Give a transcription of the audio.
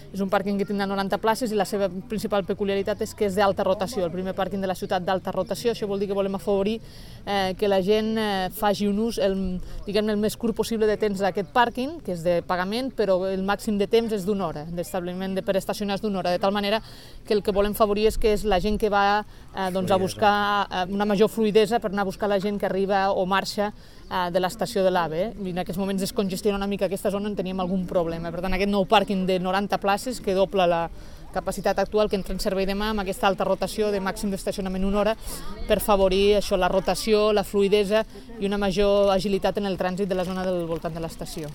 És un pàrquing que tindrà 90 places i la seva principal peculiaritat és que és d'alta rotació, el primer pàrquing de la ciutat d'alta rotació. Això vol dir que volem afavorir que la gent faci un ús el més curt possible de temps d'aquest pàrquing, que és de pagament, però el màxim de temps és d'una hora, d'establiment per estacionar és d'una hora, de tal manera que el que volem favorir és que és la gent que va a buscar una major fluïdesa per anar a buscar la gent que arriba o marxa de l'estació de l'AVE. I en aquests moments es congestiona una mica aquesta zona on teníem algun problema. Per tant, aquest nou pàrquing de 90 places, que dobla la capacitat actual que entra en servei demà amb aquesta alta rotació de màxim d'estacionament una hora per favorir això, la rotació, la fluïdesa i una major agilitat en el trànsit de la zona del voltant de l'estació.